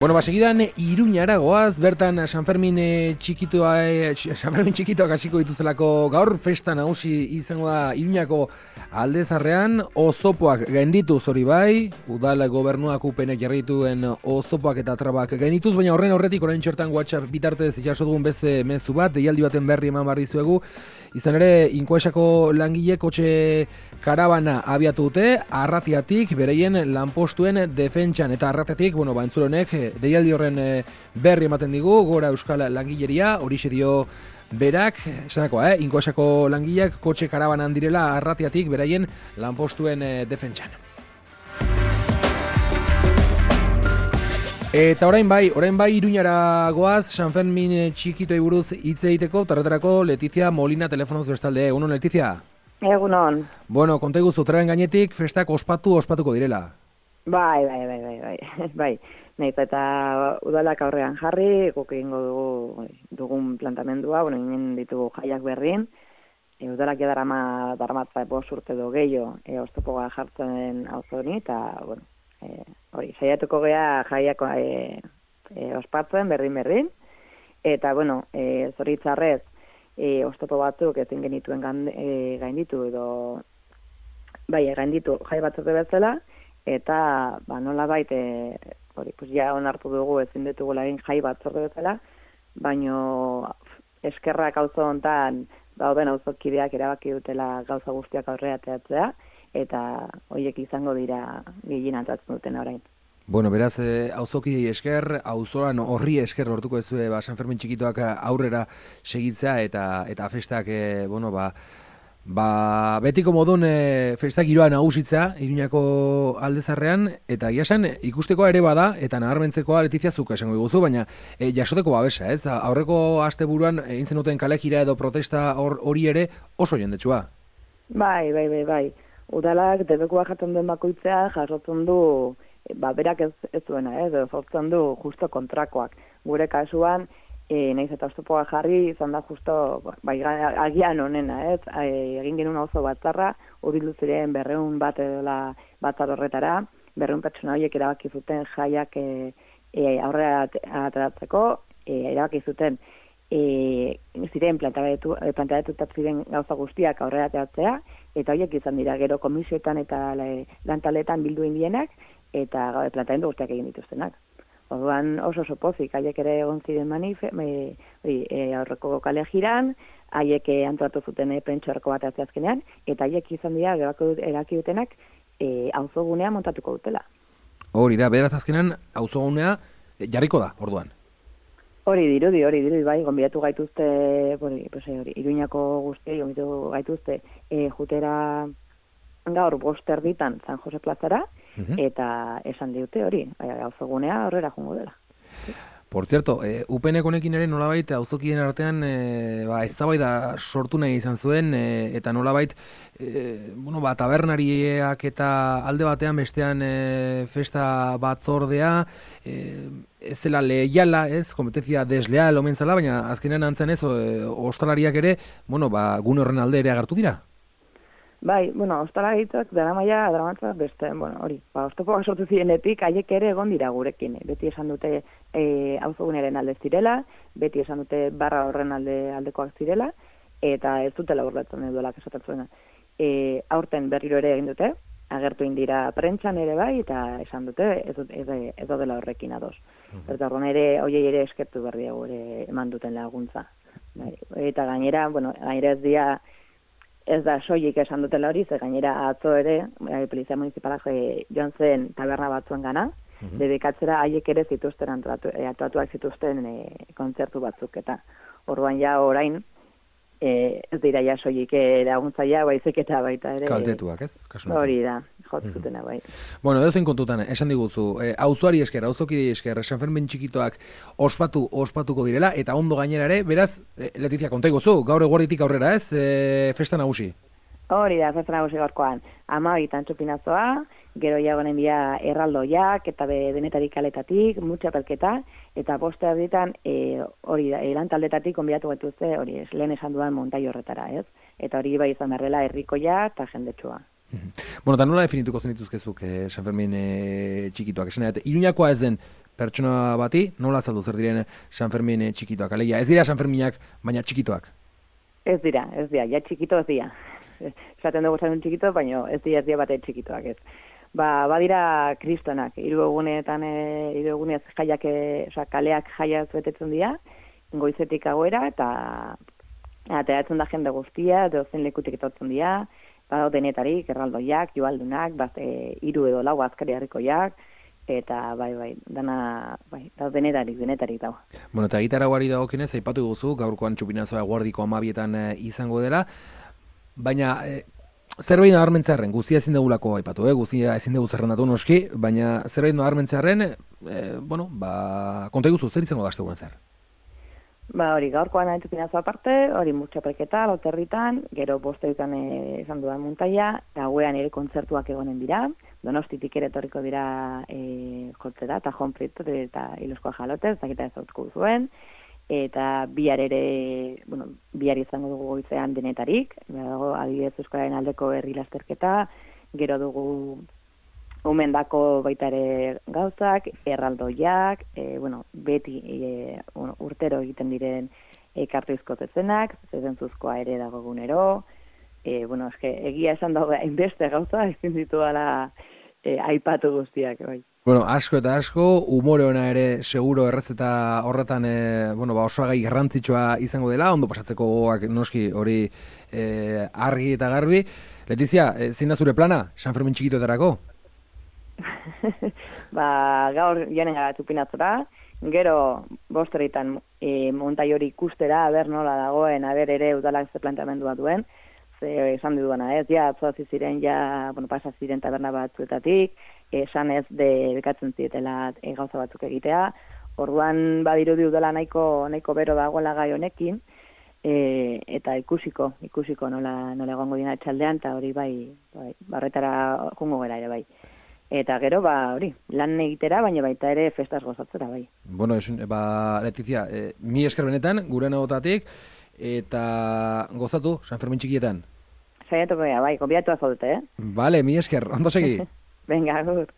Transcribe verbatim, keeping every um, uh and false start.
Bueno, ba, segidan Iruñara goaz, bertan San Fermin txikitoa, San Fermin txikitoak hasiko dituztelako gaur festa nagusi izango da Iruñako Aldezarrean, ozopoak gaindituz hori bai, udal gobernuak upenek jarri dituen ozopoak eta trabak gaindituz, baina horren horretik orain txertan WhatsApp bitartez jaso dugun beste mezu bat, deialdi baten berri eman barri zuegu. Izan ere, Inkoesako langile kotxe karabana abiatu dute, Arratiatik, bereien lanpostuen defentsan, eta Arratiatik, bueno, ba, entzulonek, deialdi horren berri ematen digu, gora euskal langileria, horixe dio berak, esanakoa, eh? Inkoesako langileak kotxe karabanan direla Arratiatik, bereien lanpostuen defentsan. Eta orain bai, orain bai Iruñara goaz, San Fermin txikitoi buruz hitz egiteko, tarretarako Letizia Molina telefonoz bestalde. Egunon, Letizia? Egunon. Bueno, konta iguzu, traren gainetik festak ospatu, ospatuko direla. Bai, bai, bai, bai, bai, bai. Naiz eta udalak aurrean jarri, guk egingo dugu dugun plantamendua, bueno, inen ditugu jaiak berrin, e, udalak edarama darmatza bost urte do gehiago, e, oztopoa jartzen auzoni, eta, bueno, E, hori, saiatuko gea jaiako e, e, ospatzen, berdin-berdin, eta, bueno, e, zoritzarrez, e, oztopo batzuk ezin genituen gande, e, gainditu, edo, bai, gainditu jai batzorde bezala, eta, ba, nola baita, e, hori, pues ja onartu dugu ezin ditugula egin jai batzorde bezala, baino eskerrak auzo hontan, dauden auzokideak erabaki dutela gauza guztiak aurrera ateratzea, eta horiek izango dira gehien antzatzen duten orain. Bueno, beraz, eh, auzokidei esker, auzolan horri esker lortuko ez ba, San Fermin txikitoak aurrera segitzea, eta eta festak, eh, bueno, ba, ba, betiko modun eh, festak giroa nagusitzea, Iruñako Aldezarrean, eta iasan ikustekoa ere bada, eta nabarmentzekoa Letizia zuk esango diguzu, baina eh, jasoteko babesa, ez? Aurreko asteburuan egin zenuten kalejira edo protesta hori ere oso jendetsua. Bai, bai, bai, bai. Udalak debekua jaten duen bakoitzea jasotzen du, ba, berak ez, ez duena, ez, sortzen du justo kontrakoak. Gure kasuan, e, nahiz eta oztopoa jarri, izan da justo, bai, agian honena, ez, e, egin genuen oso batzarra, urbildu ziren berreun bat edola batzar horretara, berreun pertsona horiek erabaki zuten jaiak e, e, aurrera ateratzeko, e, erabaki zuten E, ziren planteatutat ziren gauza guztiak aurrera ateratzea, eta horiek izan dira gero komisioetan eta lantaletan bildu indienak, eta planteamendu guztiak egin dituztenak. Orduan oso oso pozik, haiek ere egon ziren manife, e, e, aurreko kale jiran, haiek antolatu zuten e, pentsorko bat azkenean, eta haiek izan dira eraki dutenak e, auzogunea montatuko dutela. Hori da, beraz azkenean auzogunea jarriko da, orduan. Hori dirudi, hori dirudi, bai, gonbidatu gaituzte, hori, pues, hori, Iruñako guztiei, gonbidatu gaituzte, e, jutera gaur bost erditan San Jose plazara, uh-huh. Eta esan diute hori, auzogunea horrera jungo dela. Por cierto, eh, U P N honekin ere nolabait auzokideen artean eh, ba, eztabaida sortu nahi izan zuen, eh, eta nolabait eh, bueno, ba, tabernariak eta alde batean bestean eh, festa batzordea, eh, ez zela leiala, ez, kompetentzia desleal omen zela, baina azkenean antzen ez, eh, ostalariak ere, bueno, ba, gune horren alde ere agertu dira. Bai, bueno, ostalaritzak dara maia, dara beste, bueno, hori, ba, oztopoak sortu zirenetik, haiek ere egon dira gurekin. Beti esan dute e, auzoguneren alde zirela, beti esan dute barra horren alde aldekoak zirela, eta ez dutela burlatzen eduelak esatatzuena. E, aurten berriro ere egin dute, agertu indira prentxan ere bai, eta esan dute ez, ez, ez dela horrekin ados. Uh-huh. Eta horren ere, hoiei ere eskertu berri ere eman duten laguntza. Bai, eta gainera, bueno, gainera ez dia, ez da soilik esan dutela hori, ze gainera atzo ere, e, Polizia Municipalak e, joan zen taberna batzuen gana, uh-huh. Dedikatzera haiek ere zituzten antolatu, e, atuatuak zituzten e, kontzertu batzuk, eta orduan ja orain, e, ez dira ja soilik laguntzaia, baizik eta baita ere. Kaltetuak, ez? Kasunetan. Hori da, jotzutena bai. Bueno, edo zein kontutan, esan diguzu, eh, auzoari esker, auzokidei esker, San Fermin txikitoak ospatu, ospatuko direla, eta ondo gainera ere, beraz, eh, Letizia, konta iguzu, gaur eguerditik aurrera, ez, eh, festa nagusi? Hori da, festa nagusi gaurkoan, amabitan txupinazoa, gero jagonen bia erraldoiak, eta be denetarik kaletatik, mutxapelketa, eta boste erditan, e, hori da, lantaldetatik konbidatu gaituzte, hori, lehen esan dudan montai horretara, ez? Eta hori bai izan berrela herrikoia eta jendetsua. Bueno, eta nola definituko zenituzkezuk eh, San Fermin eh, txikitoak? Esan, Iruñakoa ez den pertsona bati, nola azaldu zer diren San Fermin txikitoak? Alegia, ez dira San Ferminak, baina txikitoak. Ez dira, ez dira, ja txikito ez dira. Esaten dugu San Fermin txikito, baina ez dira, ez dira bate txikitoak ez. Ba, badira kristonak, hiru egunetan, e, hiru egunez jaiak, e, oza, kaleak jaiaz betetzen dira, goizetik agoera, eta ateratzen da jende guztia, dozen lekutik etortzen dira, badao denetarik, erraldoiak, joaldunak, bat, e, hiru edo lau azkari harrikoiak, eta bai, bai, dana, bai, da denetarik, denetarik dago. Bueno, eta gitarauari dagokienez, aipatu guzu, gaurkoan txupinazoa guardiko amabietan e, izango dela, baina e, zerbait nabarmentzearren, guztia ezin degulako aipatu, eh? Guztia ezin dugu zerrendatu noski, baina zerbait nabarmentzearren, e, bueno, ba, konta guzu, zer izango da asteburuan zer? Ba, hori, gaurkoan txupinazo aparte, hori murtxapelketa, loterritan, gero bosteetan e, izan dudan muntaia, eta guean ere kontzertuak egonen dira, Donostitik ere etorriko dira e, jotzera, eta Jon Prieto eta Iloskoa Jalotez, eta kita ezautuko zuen, eta bihar ere, bueno, bihar izango dugu goizean denetarik, dago adibidez Euskararen aldeko herri lasterketa, gero dugu umendako baita ere gauzak, erraldoiak, e, bueno, beti e, bueno, urtero egiten diren e, kartuizko zezenak, zezentzuzkoa ere dago gunero, e, bueno, eske, egia esan dago hainbeste gauza, ezin ditu ala e, aipatu guztiak, bai. Bueno, asko eta asko, umore ona ere seguro errezeta horretan e, bueno, ba, osoagai garrantzitsua izango dela, ondo pasatzeko gogoak noski hori e, argi eta garbi. Letizia, e, zein da zure plana, San Fermin txikitoetarako? Ba, gaur joanen gara txupinatzora, gero bosteretan e, montai hori ikustera, aber nola dagoen, aber ere udalak ze planteamendua duen, ze esan duduana ez, ja, atzoazi ziren, ja, bueno, pasa ziren taberna batzuetatik, esan ez de bekatzen zietela e, gauza batzuk egitea, orduan badirudi udala nahiko, nahiko bero dagoela gai honekin, e, eta ikusiko, ikusiko nola, nola egongo dina txaldean, eta hori bai, bai, barretara jungo gara ere bai. Eta gero, ba, hori, lan egitera, baina baita ere festaz gozatzera, bai. Bueno, esun, ba, Letizia, e, mi esker benetan, gure nagotatik, eta gozatu, San Fermin txikietan. Saiatuko gara, bai, konbiatu azaudute, eh? Vale, mi esker, ondo segi. Venga, agur.